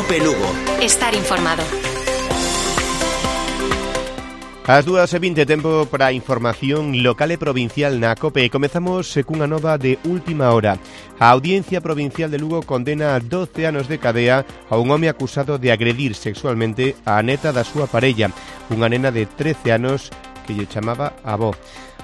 COPE Lugo. Estar informado. As 2:20, tempo para a información local e provincial na COPE. Comezamos cunha nova de última hora. A Audiencia Provincial de Lugo condena a 12 anos de cadea a un home acusado de agredir sexualmente a neta da súa parella, unha nena de 13 anos que lle chamaba avó.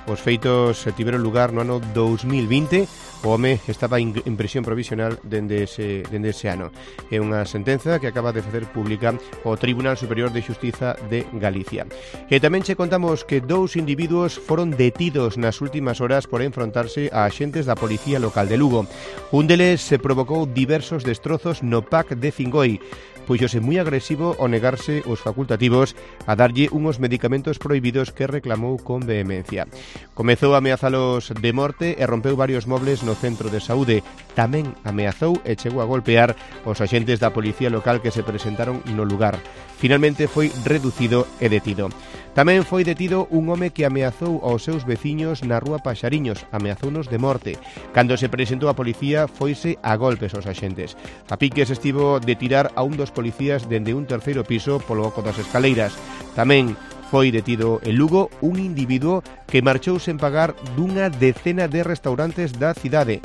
Os feitos tiveron lugar no ano 2020. O home estaba en prisión provisional dende ese ano. É unha sentenza que acaba de facer pública o Tribunal Superior de Xustiza de Galicia. E tamén che contamos que 2 individuos foron detidos nas últimas horas por enfrontarse a axentes da Policía Local de Lugo. Un deles se provocou diversos destrozos no PAC de Fingoi, puxose moi agresivo ao negarse os facultativos a darlle unhos medicamentos prohibidos que reclamou con vehemencia. Comezou a ameazalos de morte e rompeu varios mobles no centro de saúde. Tamén ameazou e chegou a golpear os axentes da Policía Local que se presentaron no lugar. Finalmente foi reducido e detido. Tamén foi detido un home que ameazou aos seus veciños na rúa Paxariños, ameazounos de morte. Cando se presentou a policía, foise a golpes aos axentes. A piques estivo de tirar a un dos policías dende un terceiro piso polo oco das escaleiras. Tamén foi detido en Lugo un individuo que marchou sen pagar dunha decena de restaurantes da cidade.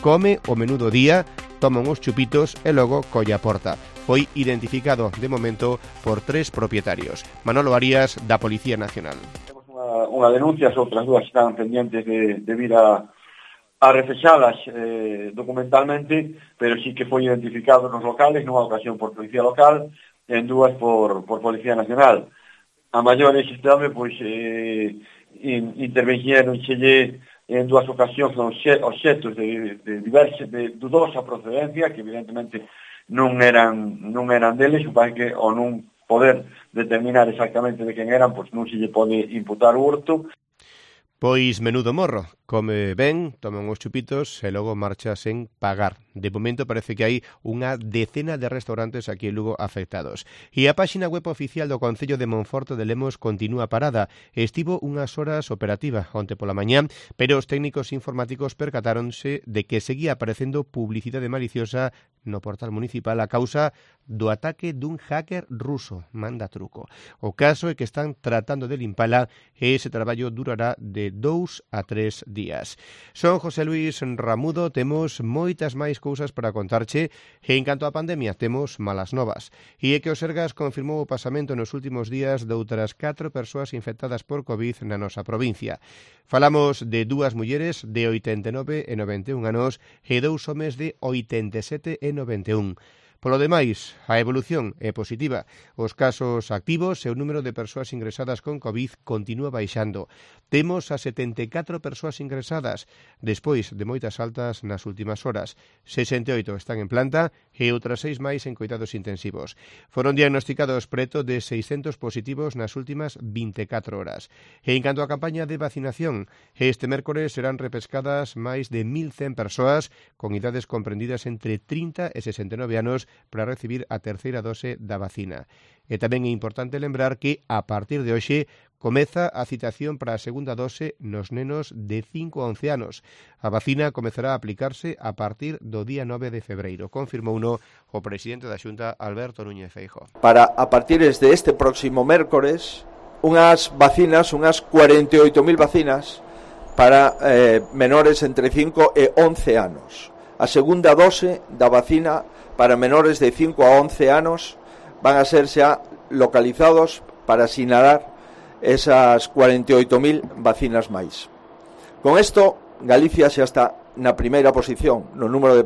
Come o menú do día, toma uns chupitos e logo colle a porta. Foi identificado de momento por 3 propietarios. Manolo Arias, da Policía Nacional. Temos unha denuncia, as outras 2 están pendientes de vir a refexalas documentalmente, pero sí que foi identificado nos locales, nunha ocasión por Policía Local, en 2 por Policía Nacional. A maiores este home, pois, interveñeron en 2 ocasións obxetos de dudosa procedencia, que evidentemente non eran deles, supón que ao non poder determinar exactamente de quen eran, pois non se lle pode imputar o hurto. Pois menudo morro, come ben, toma uns chupitos e logo marcha sen pagar. De momento parece que hai unha decena de restaurantes aquí en Lugo afectados. E a páxina web oficial do Concello de Monforte de Lemos continúa parada. Estivo unhas horas operativa onte pola mañá, pero os técnicos informáticos percatáronse de que seguía aparecendo publicidade maliciosa no portal municipal a causa do ataque dun hacker ruso, manda truco. O caso é que están tratando de limpala e ese traballo durará de 2 a 3 días. Son José Luis Ramudo, temos moitas máis cousas para contarche e en canto á pandemia temos malas novas. E é que o Sergas confirmou o pasamento nos últimos días de outras 4 persoas infectadas por COVID na nosa provincia. Falamos de 2 mulleres de 89 e 91 anos e 2 homes de 87 e 91. Polo demais, a evolución é positiva. Os casos activos e o número de persoas ingresadas con COVID continúa baixando. Temos a 74 persoas ingresadas, despois de moitas altas nas últimas horas. 68 están en planta e outras 6 máis en coidados intensivos. Foron diagnosticados preto de 600 positivos nas últimas 24 horas. E en canto á campaña de vacinación, este mércores serán repescadas máis de 1.100 persoas con idades comprendidas entre 30 e 69 anos para recibir a terceira dose da vacina. E tamén é importante lembrar que a partir de hoxe comeza a citación para a segunda dose nos nenos de 5 a 11 anos. A vacina comezará a aplicarse a partir do día 9 de febreiro, confirmouno o presidente da Xunta, Alberto Núñez Feijóo. Para a partir de este próximo mércores, unhas vacinas, unhas 48.000 vacinas para menores entre 5 e 11 anos. A segunda dose da vacina para menores de 5 a 11 anos van a ser xa localizados para sinalar esas 48.000 vacinas máis. Con isto, Galicia xa está na primeira posición no número de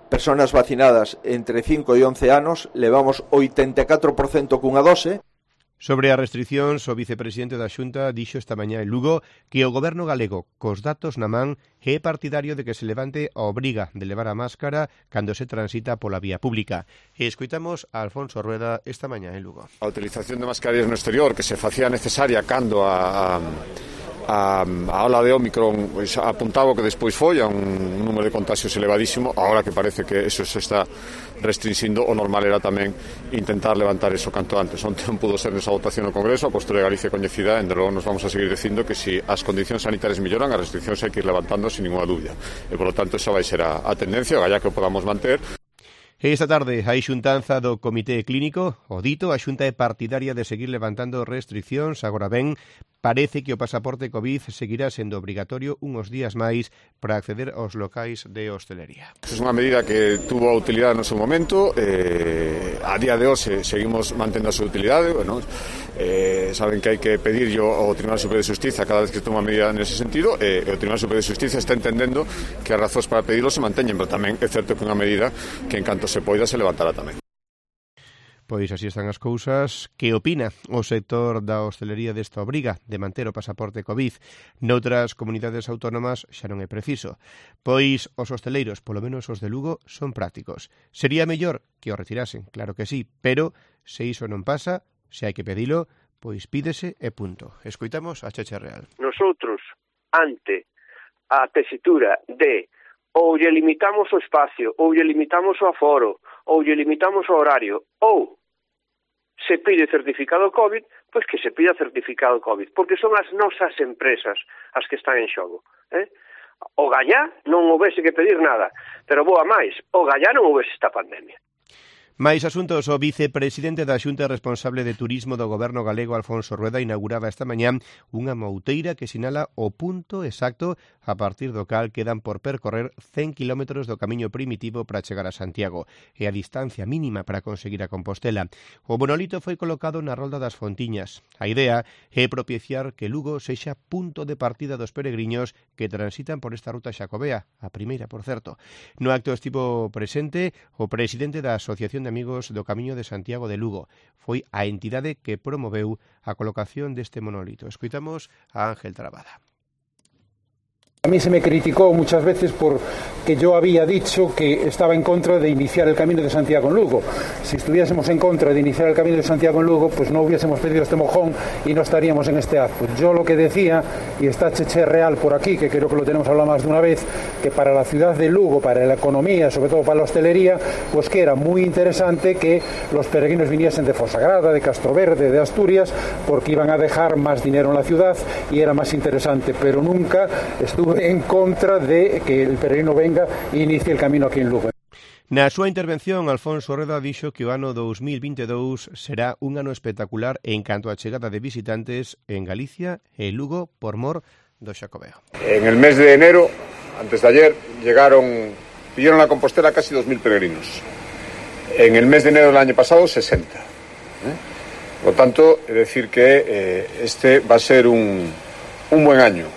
persoas vacinadas entre 5 e 11 anos, levamos 84% cunha dose. Sobre as restriccións, o vicepresidente da Xunta dixo esta mañá en Lugo que o goberno galego, cos datos na man, é partidario de que se levante a obriga de levar a máscara cando se transita pola vía pública. E escoitamos a Alfonso Rueda esta mañá en Lugo. A utilización de mascarillas no exterior que se facía necesaria cando a ola de Ómicron pois, apuntaba que despois foi a un número de contagios elevadísimo. Agora que parece que eso se está restringindo, o normal era tamén intentar levantar eso canto antes. Onte non pudo ser nesa votación no Congreso, a postura de Galicia coñecida, e logo nos vamos a seguir dicindo que se as condicións sanitarias melloran, as restriccións hai que ir levantando sin ninguna dúbida, e por lo tanto esa vai ser a tendencia, o galla que o podamos manter. Esta tarde hai xuntanza do Comité Clínico. O dito, a Xunta é partidaria de seguir levantando restriccións. Agora ben, parece que o pasaporte COVID seguirá sendo obrigatorio uns días máis para acceder aos locais de hostelería. É unha medida que tuvo a utilidade no seu momento. A día de hoxe seguimos mantendo a súa utilidade. Bueno, saben que hai que pedirlo ao Tribunal Superior de Xustiza cada vez que toma medida nese sentido, e o Tribunal Superior de Xustiza está entendendo que as razóns para pedirlo se manteñen, pero tamén é certo que unha medida que en canto se poida se levantará tamén. Pois así están as cousas. Que opina o sector da hostelería desta obriga de manter o pasaporte COVID? Noutras comunidades autónomas xa non é preciso. Pois os hosteleiros, polo menos os de Lugo, son prácticos. Sería mellor que o retirasen, claro que sí, pero se iso non pasa, se hai que pedilo, pois pídese e punto. Escoitamos a Cheche Real. Nosotros, ante a tesitura de ou lle limitamos o espacio, ou lle limitamos o aforo, ou lle limitamos o horario, ou se pide certificado COVID, pois que se pida certificado COVID, porque son as nosas empresas as que están en xogo. O gallá non houvese que pedir nada, pero boa máis, o gallá non houvese esta pandemia. Mais asuntos, o vicepresidente da Xunta responsable de Turismo do Goberno galego, Alfonso Rueda, inauguraba esta mañá unha mouteira que sinala o punto exacto a partir do cal quedan por percorrer 100 km do camiño primitivo para chegar a Santiago e a distancia mínima para conseguir a Compostela. O monolito foi colocado na Rolda das Fontiñas. A idea é propiciar que Lugo sexa punto de partida dos peregriños que transitan por esta ruta xacobea, a primeira, por certo. No acto estivo presente o presidente da Asociación de Amigos do Camiño de Santiago de Lugo. Foi a entidade que promoveu a colocación deste monolito. Escoitamos a Ángel Trabada. A mí se me criticó muchas veces porque yo había dicho que estaba en contra de iniciar el Camino de Santiago en Lugo. Si estuviésemos en contra de iniciar el Camino de Santiago en Lugo, pues no hubiésemos pedido este mojón y no estaríamos en este acto. Yo lo que decía, y está Cheche Real por aquí, que creo que lo tenemos hablado más de una vez, que para la ciudad de Lugo, para la economía, sobre todo para la hostelería, pues que era muy interesante que los peregrinos viniesen de Fonsagrada, de Castroverde, de Asturias, porque iban a dejar más dinero en la ciudad y era más interesante, pero nunca estuve en contra de que el peregrino venga e inicie el camino aquí en Lugo. Na súa intervención, Alfonso Rueda dixo que o ano 2022 será un ano espectacular en canto á chegada de visitantes en Galicia e Lugo por mor do Xacobeo. En el mes de enero, antes de ayer, pidieron a Compostela casi 2.000 peregrinos. En el mes de enero del año pasado, 60. Por lo tanto, es decir que este va a ser un buen año.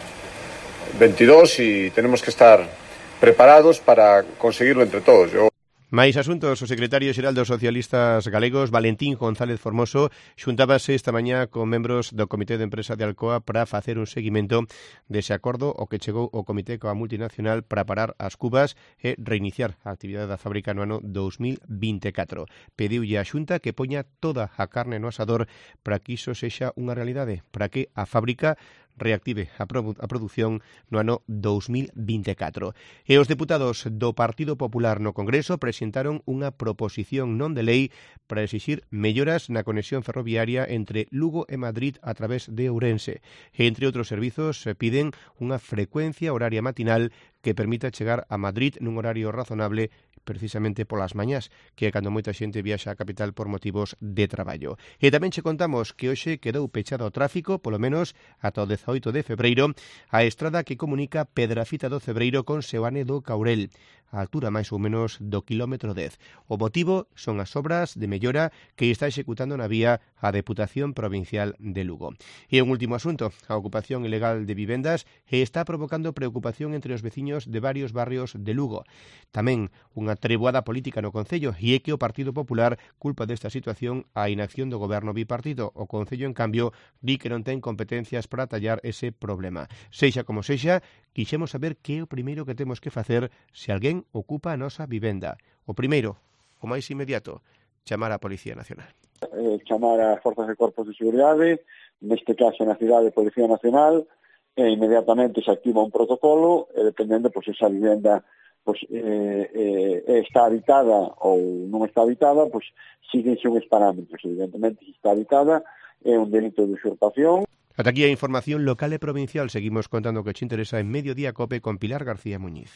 22 y tenemos que estar preparados para conseguirlo entre todos. Mais asuntos, o secretario xeral dos socialistas galegos, Valentín González Formoso, xuntábase esta mañá con membros do Comité de Empresa de Alcoa para facer un seguimento dese acordo o que chegou o Comité coa multinacional para parar as cubas e reiniciar a actividade da fábrica no ano 2024. Pediulle a Xunta que poña toda a carne no asador para que iso sexa unha realidade, para que a fábrica reactive a produción no ano 2024. E os deputados do Partido Popular no Congreso presentaron unha proposición non de lei para exixir melloras na conexión ferroviaria entre Lugo e Madrid a través de Ourense. E, entre outros servizos, piden unha frecuencia horaria matinal que permita chegar a Madrid nun horario razonable precisamente polas mañás, que é cando moita xente viaxa á capital por motivos de traballo. E tamén che contamos que hoxe quedou pechado ao tráfico, polo menos ata o 18 de febreiro, a estrada que comunica Pedrafita do Cebreiro con Seoane do Caurel, a altura máis ou menos do quilómetro 10. O motivo son as obras de mellora que está executando na vía a Deputación Provincial de Lugo. E un último asunto, a ocupación ilegal de vivendas está provocando preocupación entre os veciños de varios barrios de Lugo. Tamén unha treboada política no Concello, e é que o Partido Popular culpa desta situación a inacción do goberno bipartito. O Concello, en cambio, di que non ten competencias para tallar ese problema. Sexa como sexa, quixemos saber que é o primeiro que temos que facer se alguén ocupa a nosa vivenda. O primeiro, o máis inmediato, chamar á Policía Nacional. Chamar a forzas e corpos de seguridade, neste caso na cidade de Policía Nacional, e inmediatamente se activa un protocolo, e dependendo, pois, esa vivenda está habitada ou non está habitada, pois síguense uns parámetros. Evidentemente, se está habitada, é un delito de usurpación. Ata aquí a información local e provincial. Seguimos contando o que te interesa en Mediodía Cope con Pilar García Muñiz.